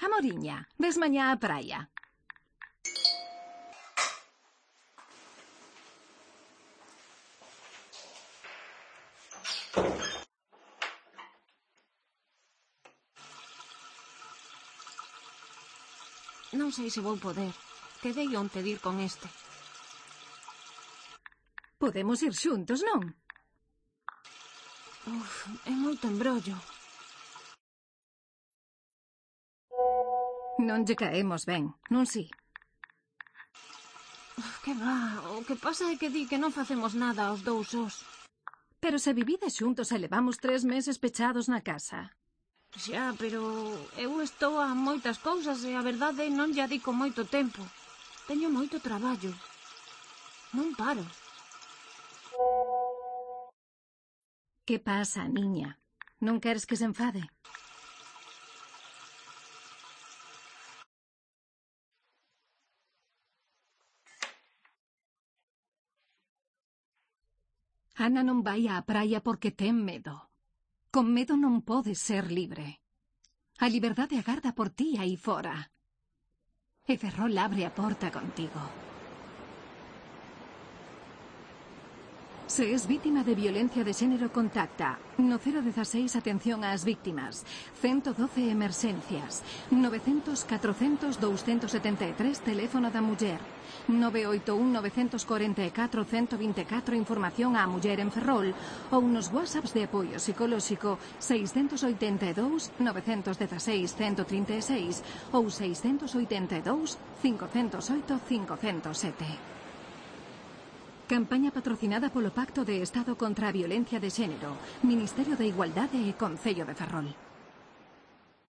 Amoriña, ves mañá á praia? Non sei se vou poder. Quedei onte de ir con este. Podemos ir xuntos, non? É moito embrollo. Non lle caemos ben, non si? Que va, o que pasa é que di que non facemos nada aos dous sós. Pero se vivides xuntos e levamos 3 meses pechados na casa. Xa, pero eu estou a moitas cousas e a verdade non lle dedico moito tempo. Teño moito traballo. Non paro. Que pasa, niña? Non queres que se enfade? Ana non vai á praia porque ten medo. Con medo non podes ser libre. A liberdade agarda por ti aí fora. E Ferrol abre a porta contigo. Se es vítima de violencia de xénero, contacta no 016 atención ás víctimas, 112 emerxencias, 900 400 273 teléfono da muller, 981 944 124 información á muller en Ferrol ou nos WhatsApps de apoio psicolóxico 682 916 136 ou 682 508 507. Campaña patrocinada polo Pacto de Estado contra a Violencia de Xénero, Ministerio de Igualdade e Concello de Ferrol.